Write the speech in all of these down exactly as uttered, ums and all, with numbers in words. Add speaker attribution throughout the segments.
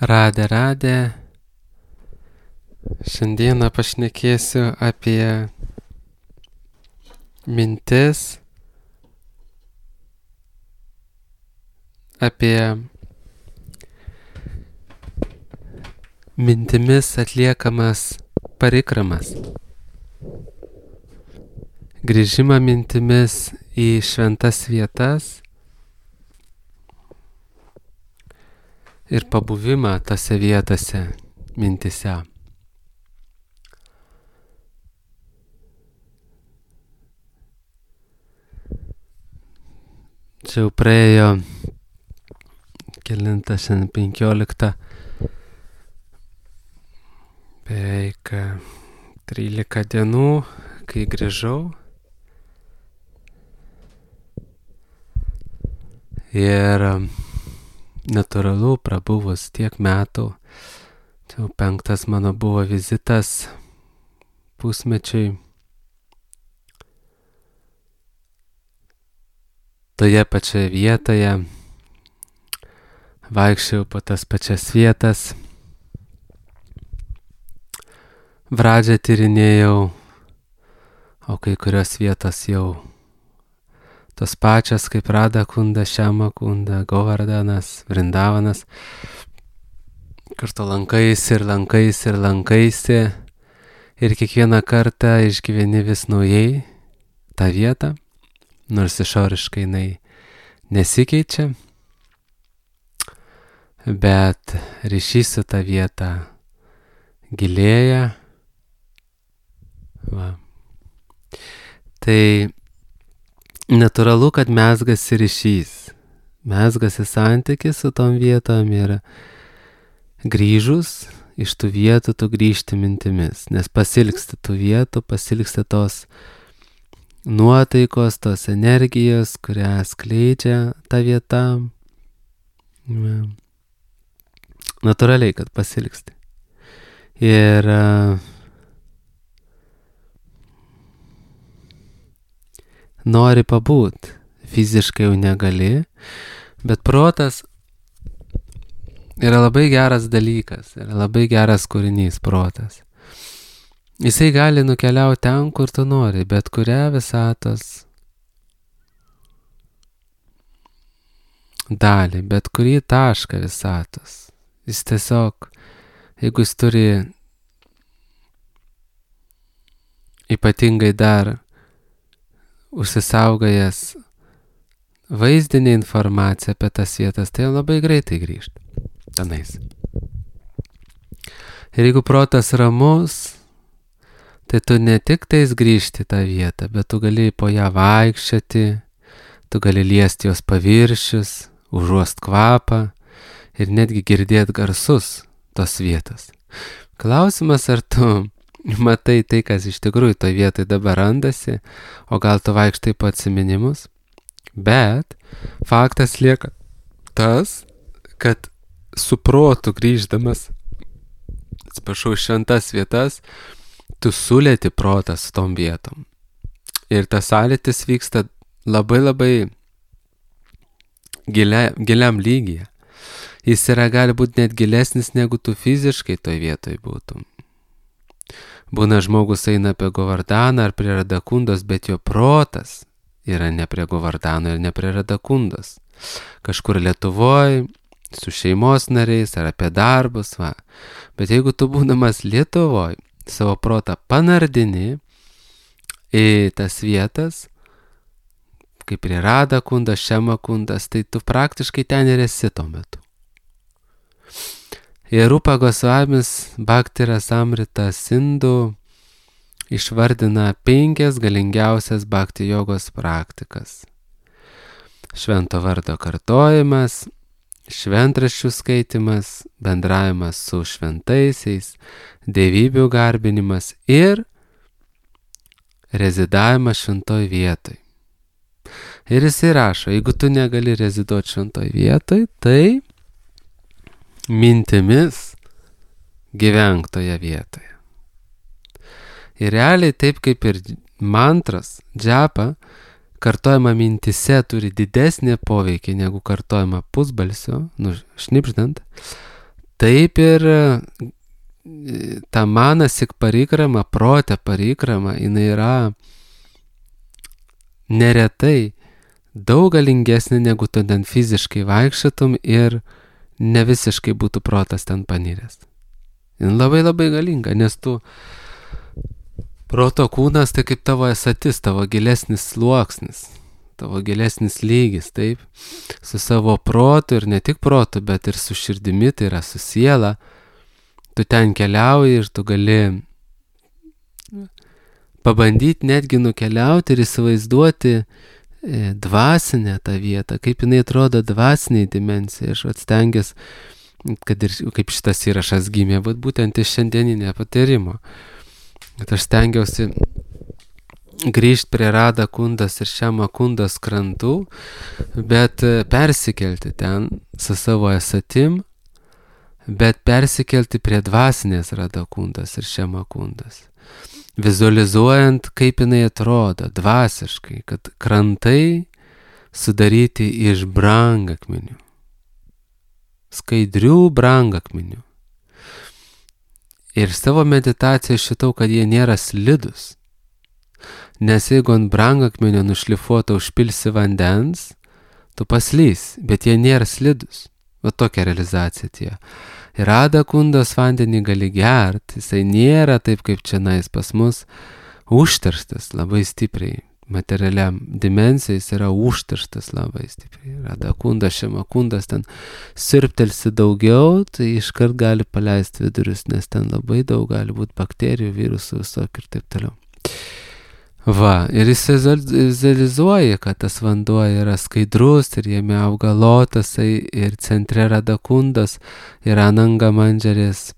Speaker 1: Radė, radė. Šiandieną pašnekėsiu apie mintis, apie mintimis atliekamas parikramas, grįžimą mintimis į šventas vietas ir pabuvimą tose vietose mintise. Čia jau praėjo kelinta šiandien penkiolikta, beveik trylika dienų, kai grįžau. Ir natūralu, prabuvus tiek metų, čia jau penktas mano buvo vizitas pusmečiui. Toje pačioje vietoje vaikščiau po tas pačias vietas, Vradžią tyrinėjau, o kai kurios vietos jau tos pačios kaip Radha Kunda, Šiama Kunda, Govardanas, Vrindavanas, kur tu lankaisi ir lankaisi ir lankaisi ir kiekvieną kartą išgyveni vis naujai tą vietą, nors išoriškai jinai nesikeičia, bet ryšys su ta vieta gilėja. Va. Tai natūralu, kad mezgasi ryšys, mezgasi santykis su tom vietom ir grįžus iš tų vietų tu grįžti mintimis, nes pasilgsti tų vietų, pasilgsti tos nuotaikos, tos energijos, kurią skleidžia ta vieta. Ja. Natūraliai, kad pasilgsti. Ir uh, nori pabūt, fiziškai jau negali, bet protas yra labai geras dalykas, yra labai geras kūrinys protas. Jisai gali nukeliauti ten, kur tu nori, bet kurią visatos dalį, bet kurį tašką visatos. Jis tiesiog, jeigu jis turi ypatingai dar užsisaugojęs vaizdinę informaciją apie tas vietas, tai labai greitai grįžta tenais. Ir jeigu protas ramus, tai tu ne tik tais grįžti tą vietą, bet tu gali po ją vaikščioti, tu gali liesti jos paviršius, užuost kvapą ir netgi girdėti garsus tos vietos. Klausimas, ar tu matai tai, kas iš tikrųjų toje vietoje dabar randasi, o gal tu vaikštai po atsiminimus, bet faktas lieka tas, kad su protu grįždamas, atsiprašau, šventas vietas, tu sulėti protą su tom vietom. Ir tas sąlytis vyksta labai labai gilia, giliam lygyje. Jis yra gali būti net gilesnis, negu tu fiziškai toj vietoj būtum. Būna žmogus eina apie Govardaną ar prie Radakundos, bet jo protas yra ne prie Govardano ir ne prie Radakundos. Kažkur Lietuvoje, su šeimos nariais ar apie darbus, va. Bet jeigu tu būdamas Lietuvoje, savo protą panardini į tas vietas, kaip prie Radha Kundas, Šiama Kundas, tai tu praktiškai ten ir esi tuo metu. Ir Rupa Gosvamis Bhakti Rasamrita Sindhu išvardina penkias galingiausias bhakti jogos praktikas. Švento vardo kartojimas, šventraščių skaitimas, bendravimas su šventaisiais, dievybių garbinimas ir rezidavimas šventoj vietoj. Ir jis įrašo, jeigu tu negali reziduoti šventoj vietoj, tai mintimis gyvenk toje vietoje. Ir realiai taip kaip ir mantras, džapa, kartojama mintise turi didesnį poveikį negu kartojama pusbalsio, nu, šnipždant, taip ir ta manasik parikrama, protė parikrama, jinai yra neretai daug galingesnė, negu tu ten fiziškai vaikščiotum ir ne visiškai būtų protas ten paniręs. Jin labai labai galinga, nes tu proto kūnas tai kaip tavo esatis, tavo gilesnis sluoksnis, tavo gilesnis lygis, taip, su savo protu ir ne tik protu, bet ir su širdimi, tai yra su siela. Tu ten keliauji ir tu gali pabandyti netgi nukeliauti ir įsivaizduoti dvasinę tą vietą, kaip jinai atrodo dvasiniai dimensijai. Aš atstengęs, kad ir kaip šitas įrašas gimė, bet būtent iš šiandieninio patyrimo. Kad aš stengiausi grįžti prie Rada Kundas ir Šiama Kundas krantų, bet persikelti ten su savo esatim, bet persikelti prie dvasinės Rada Kundas ir Šiama Kundas. Vizualizuojant, kaip jinai atrodo dvasiškai, kad krantai sudaryti iš brangakmenių, skaidrių brangakmenių. Ir savo meditaciją šitau, kad jie nėra slidus. Nes jeigu ant brangakmenio nušlifuoto užpilsi vandens, tu paslys, bet jie nėra slidus. Va tokia realizacija tie. Ir Rada Kundos vandenį gali gert, jisai nėra taip kaip čianais pas mus, užterštas labai stipriai. Materialiam dimensijai jis yra užterštas labai stipriai. Rada Kundas, Šiama Kundas, ten sirptelsi daugiau, tai iškart gali paleisti vidurius, nes ten labai daug gali būti bakterijų, virusų, visokių ir taip toliau. Va, ir jis vizualizuoja, kad tas vanduo yra skaidrus ir jame auga lotasai ir centre Rada Kundos yra Ananga Mandžarės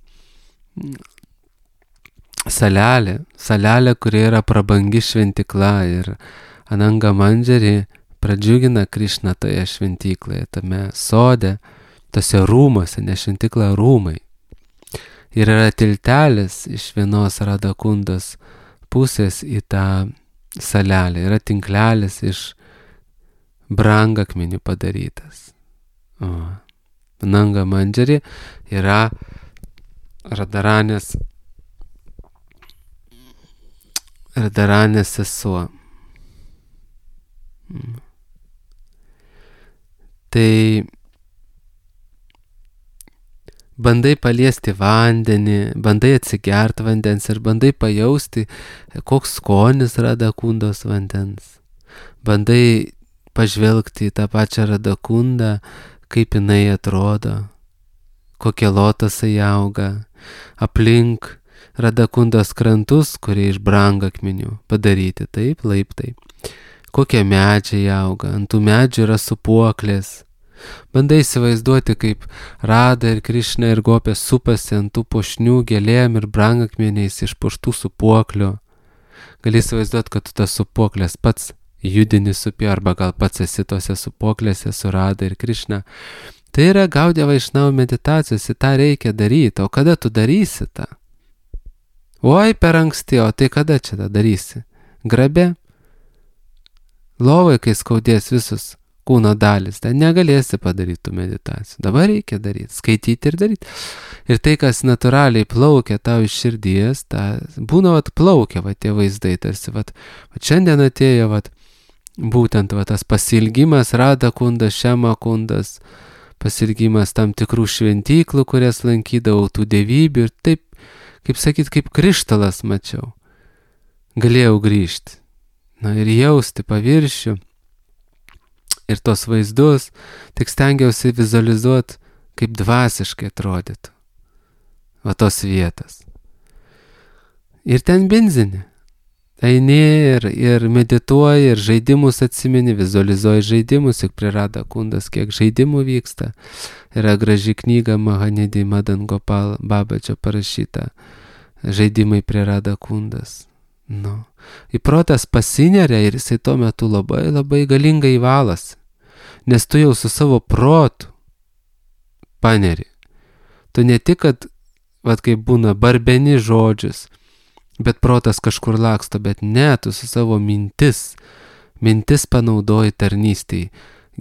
Speaker 1: salelė, salelė, kuri yra prabangi šventikla ir Ananga Mandžarė pradžiugina Krišną toje šventykloje, tame sode, tose rūmose, ne šventikla rūmai. Ir yra tiltelis iš vienos Rada Kundos pusės į tą salelę, yra tinklelis iš brangakmenių padarytas. O. Ananga Mandžarė yra Radaranės Radaranės sesuo. Tai bandai paliesti vandenį, bandai atsigert vandens ir bandai pajausti, koks skonis Rada Kundos vandens. Bandai pažvelgti į tą pačią Rada Kundą, kaip jinai atrodo, kokie lotasai auga, aplink Rada Kundos krantus, kurie iš brangakmenių padaryti, taip, laiptai. Kokie medžiai auga, ant tų medžių yra supuoklės. Bandai įsivaizduoti, kaip Rada ir Krišna ir Gopė supasi ant tų puošnių gėlėm ir brangakmeniais išpuoštų supuoklių. Gali įsivaizduoti, kad tu tas supuoklės pats judini supi, arba gal pats esi tose supuoklėse su Rada ir Krišna. Tai yra Gaudija Vaišnavų meditacijos, į tą reikia daryti. O kada tu darysi tą? Oi, per anksti, o tai kada čia tą darysi? Grabe? Lovai, kai skaudės visus kūno dalis, ten negalėsi padaryti tų meditacijų. Dabar reikia daryti, skaityti ir daryti. Ir tai, kas natūraliai plaukia tau iš širdies, ta, būna vat plaukia va tie vaizdai, tarsi vat, vat šiandien atėjo vat, būtent vat, tas pasilgimas Rada Kundas, Šiama Kundas, pasilgimas tam tikrų šventyklų, kurias lankydavau, tų dievybių ir taip, kaip sakyt, kaip krištalas mačiau. Galėjau grįžti. Na ir jausti paviršių ir tos vaizdus, tik stengiausi vizualizuoti, kaip dvasiškai atrodytų. Va tos vietas. Ir ten benzini. Eini ir, ir medituoji, ir žaidimus atsimeni, vizualizuoji žaidimus, juk prie Rada Kundas kiek žaidimų vyksta. Yra graži knyga Mahanidhi Madan Gopal Babačio parašyta. Žaidimai prie Rada Kundas. Nu. Į protas pasineria ir jisai tuo metu labai labai galingai valasi. Nes tu jau su savo protu paneri. Tu ne tik, kad, vat kaip būna, barbeni žodžius, bet protas kažkur laksto, bet ne, tu su savo mintis, mintis panaudoji tarnystėj,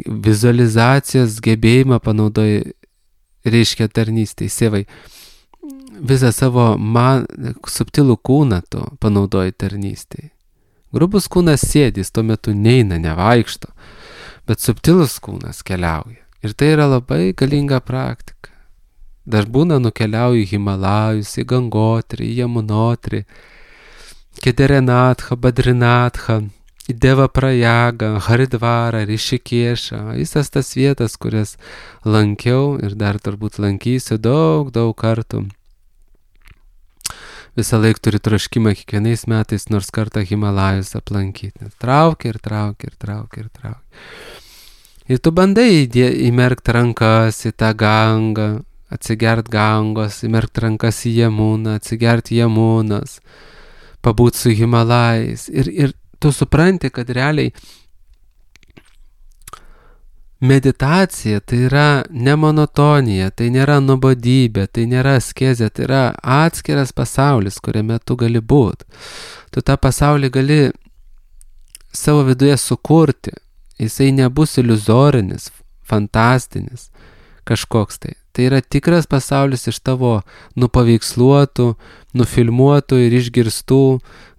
Speaker 1: vizualizacijos gebėjimą panaudoji reiškia tarnystė, Sievai. Visą savo man, subtilų kūną tu panaudoji tarnystėje. Grubus kūnas sėdys, tuo metu neina, nevaikšto, bet subtilus kūnas keliauja. Ir tai yra labai galinga praktika. Dar būna nukeliauju į Himalajus, į Gangotrį, į Jamunotrį, Kederenatha, Badrinatha, į Devaprayagą, Haridvarą, Rišikešą, visas tas vietas, kurias lankiau ir dar turbūt lankysiu daug, daug kartų. Visą laiką turi troškimą kiekvienais metais nors kartą Himalajus aplankyti. Traukia ir traukia ir traukia ir traukia. Ir tu bandai įmerkti rankas į tą Gangą, atsigert Gangos, įmerkti rankas į Jamuną, atsigerti Jamunas, pabūt su Himalajais. Ir, ir tu supranti, kad realiai meditacija tai yra ne monotonija, tai nėra nuobodybė, tai nėra askezė, tai yra atskiras pasaulis, kuriame tu gali būti. Tu tą pasaulį gali savo viduje sukurti. Jisai nebus iliuzorinis, fantastinis, kažkoks tai. Tai yra tikras pasaulis iš tavo nupaveiksluotų, nufilmuotų ir išgirstų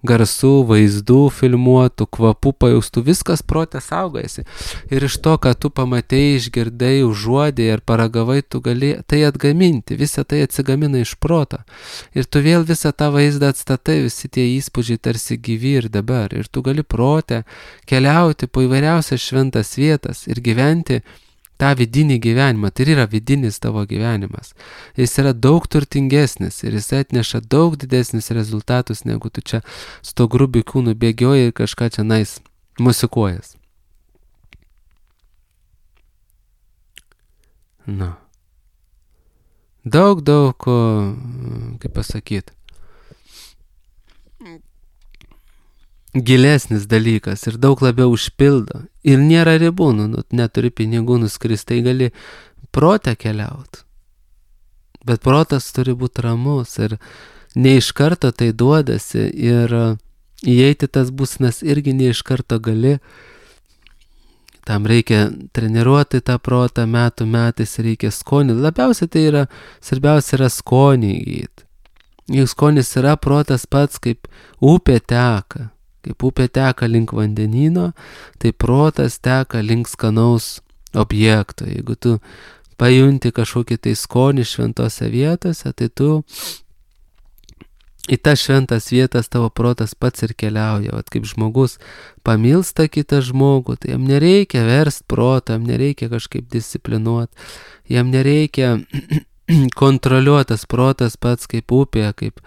Speaker 1: garsų, vaizdų filmuotų, kvapų pajaustų, viskas prote saugojasi. Ir iš to, ką tu pamatei, išgirdai, užuodei ar paragavai, tu gali tai atgaminti, visą tai atsigamina iš proto. Ir tu vėl visą tą vaizdą atstatai, visi tie įspūdžiai tarsi gyvi ir dabar. Ir tu gali prote keliauti po įvairiausias šventas vietas ir gyventi tą vidinį gyvenimą. Tai yra vidinis tavo gyvenimas. Jis yra daug turtingesnis ir jis atneša daug didesnis rezultatus, negu tu čia su to grubiu kūnu bėgioji ir kažką čia nais musikuojas. Na. Daug, daug, kaip pasakyti, gilesnis dalykas ir daug labiau užpildo. Ir nėra ribų, nu, neturi pinigų nuskristi, tai gali protę keliauti. Bet protas turi būti ramus ir ne iš karto tai duodasi ir įeiti tas būsenas irgi ne iš karto gali. Tam reikia treniruoti tą protą metų metais, reikia skonį. Labiausiai tai yra, svarbiausia yra skonį įgyti. Juk skonis yra protas pats, kaip upė teka. Kaip upė teka link vandenyno, tai protas teka link skanaus objekto. Jeigu tu pajunti kažkokį tai skonį šventose vietose, tai tu į tas šventas vietas tavo protas pats ir keliauja. Vat kaip žmogus pamilsta kitą žmogų, tai jam nereikia verst protą, jam nereikia kažkaip disciplinuoti, jam nereikia kontroliuotas protas pats kaip upė, kaip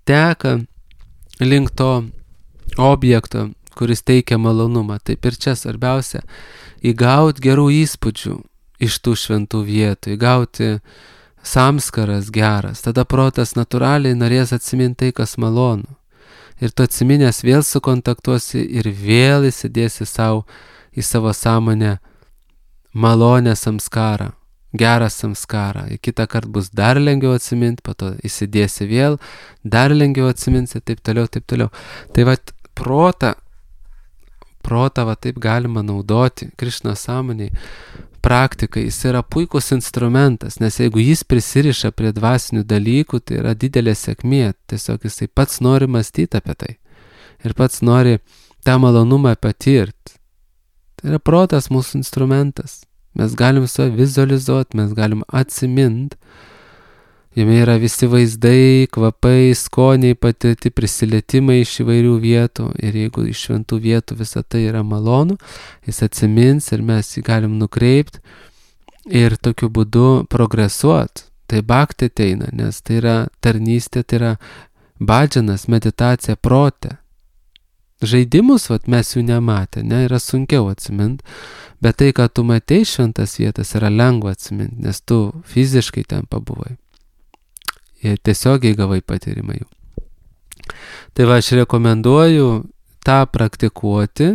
Speaker 1: teka link to objekto, kuris teikia malonumą. Taip ir čia svarbiausia įgauti gerų įspūdžių iš tų šventų vietų, įgauti samskaras geras. Tada protas natūraliai norės atsiminti tai, kas malonu. Ir tu atsiminęs vėl sukontaktuosi ir vėl įsidėsi savo į savo sąmonę malonę samskarą. Gerą samskarą. Kitą kartą bus dar lengviau atsiminti, po to įsidėsi vėl, dar lengviau atsiminsi, taip toliau, taip toliau. Tai va, protą, protą va taip galima naudoti Krišnos sąmoniai. Praktikai, jis yra puikus instrumentas, nes jeigu jis prisiriša prie dvasinių dalykų, tai yra didelė sėkmė. Tiesiog jisai pats nori mąstyti apie tai. Ir pats nori tą malonumą patirti. Tai yra protas mūsų instrumentas. Mes galim save vizualizuoti, mes galim atsiminti. Jame yra visi vaizdai, kvapai, skoniai, patirti prisilietimai iš įvairių vietų. Ir jeigu iš šventų vietų visą tai yra malonu, jis atsimins ir mes jį galim nukreipti ir tokiu būdu progresuoti. Tai bhakti ateina, nes tai yra tarnystė, tai yra bhadžanas, meditacija prote. Žaidimus, vat, mes jų nematę, ne, yra sunkiau atsiminti, bet tai, ką tu matei šventas vietas, yra lengva atsiminti, nes tu fiziškai ten pabuvai. Ir tiesiogiai gavai patyrimą jų. Tai va, aš rekomenduoju tą praktikuoti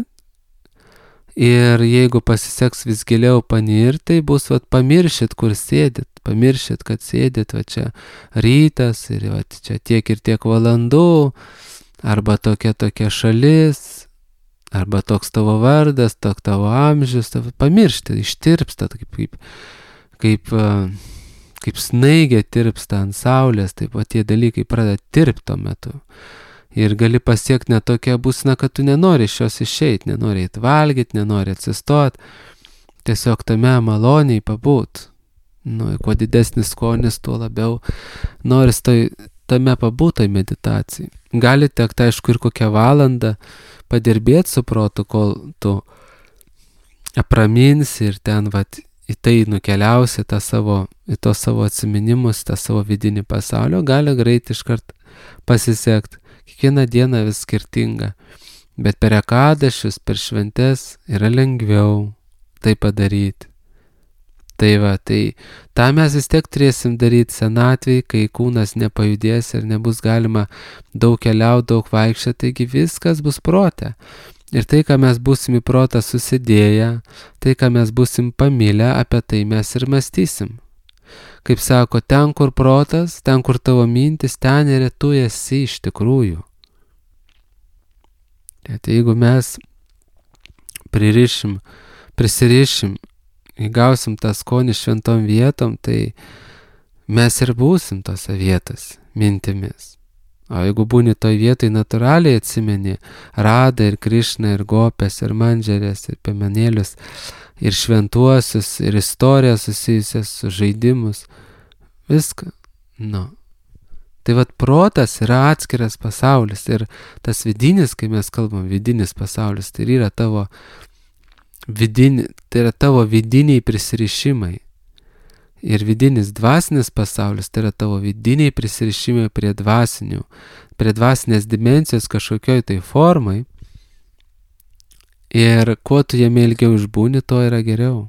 Speaker 1: ir jeigu pasiseks vis giliau panirti, tai bus, vat, pamiršit, kur sėdit, pamiršit, kad sėdit, va čia rytas ir va čia tiek ir tiek valandų, arba tokia tokia šalis, arba toks tavo vardas, toks tavo amžius, tavo pamiršti, ištirpsta, kaip, kaip, kaip, kaip snaigė tirpsta ant saulės, taip pat tie dalykai pradeda tirpti tuo metu. Ir gali pasiekti net tokią būseną, kad tu nenori iš jos išeiti, nenori įtvalgyti, nenori atsistoti, tiesiog tame maloniai pabūt. Nu, kuo didesnis skonis, tuo labiau noris toj, tame pabūtoj meditacijai. Gali tekti, aišku, ir kokią valandą padirbėti su protu, kol tu apraminsi ir ten vat, į tai nukeliausi tą savo, į tos savo atsiminimus, tą savo vidinį pasaulio, gali greit iškart pasisekti. Kiekvieną dieną vis skirtinga, bet per ekadašius, per šventes yra lengviau tai padaryti. Tai va, tai tą mes vis tiek turėsim daryti senatvėj, kai kūnas nepajudės ir nebus galima daug keliauti, daug vaikščioti, taigi viskas bus prote. Ir tai, ką mes būsim į protą susidėję, tai, ką mes būsim pamilę, apie tai mes ir mąstysim. Kaip sako, ten, kur protas, ten, kur tavo mintis, ten ir tu esi iš tikrųjų. Tai jeigu mes pririšim, prisirišim, įgausim tą skonį šventom vietom, tai mes ir būsim tose vietos mintimis. O jeigu būni toj vietoj natūraliai atsimeni Radą ir Krišną ir Gopes ir Mandžerės ir Piemenėlius ir šventuosius ir istorijas susijusias su žaidimus, viską, nu. Tai vat protas yra atskiras pasaulis ir tas vidinis, kai mes kalbam, vidinis pasaulis, tai yra tavo, vidini, tai yra tavo vidiniai prisirišimai. Ir vidinis dvasinis pasaulis, tai yra tavo vidiniai prisirišimai prie dvasinių, prie dvasinės dimensijos kažkokioj tai formai. Ir kuo tu jame ilgiau išbūni, to yra geriau.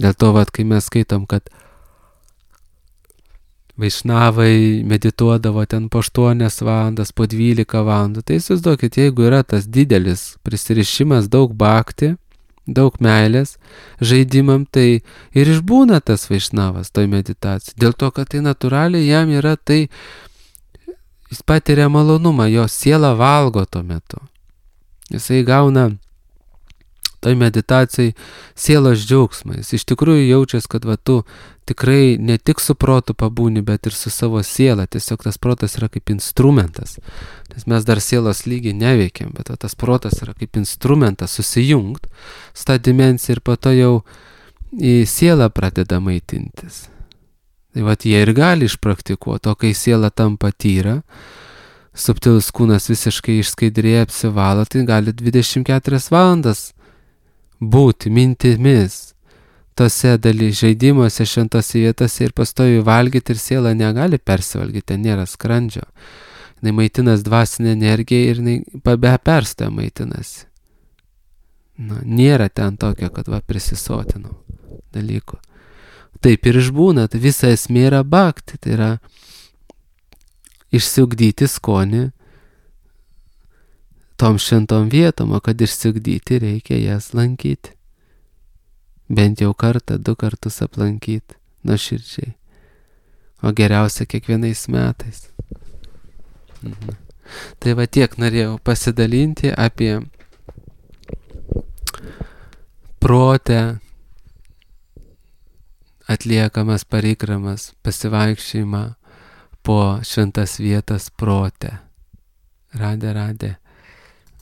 Speaker 1: Dėl to, vat, kai mes skaitom, kad Vaišnavai medituodavo ten po aštuonias valandas, po dvylika valandų. Tai įsivaizduokit, jeigu yra tas didelis prisirišimas, daug bhakti, daug meilės žaidimam, tai ir išbūna tas Vaišnavas toj meditacijai. Dėl to, kad tai natūraliai jam yra tai, jis patiria malonumą, jo siela valgo tuo metu. Jisai gauna toj meditacijai sielos džiaugsmą. Jis iš tikrųjų jaučiasi, kad va tu tikrai ne tik su protu pabūni, bet ir su savo siela. Tiesiog tas protas yra kaip instrumentas. Nes mes dar sielos lygiai neveikiam, bet va, tas protas yra kaip instrumentas susijungt su tą dimensiją ir po to jau į sielą pradeda maitintis. Tai va jie ir gali išpraktikuoti, o kai siela tampa tyra, subtilus kūnas visiškai išskaidrėja, apsivalo, tai gali dvidešimt keturias valandas būti mintimis tose daly žaidimuose, šventose vietose ir pastoviai valgyti ir siela negali persivalgyti, ten nėra skrandžio. Jis maitinas dvasinę energiją ir jinai be perstojo maitinasi. Nu, nėra ten tokio, kad va prisisotinau dalykų. Taip ir išbūna, tai visa esmė yra bhakti, tai yra išsiugdyti skonį tom šventom vietom, o kad išsiugdyti reikia jas lankyti. Bent jau kartą, du kartus aplankyti nuoširdžiai. O geriausia kiekvienais metais. Mhm. Tai va tiek norėjau pasidalinti apie protę atliekamas parikramas, pasivaikščiojimą po šventas vietas prote. Radė, radė.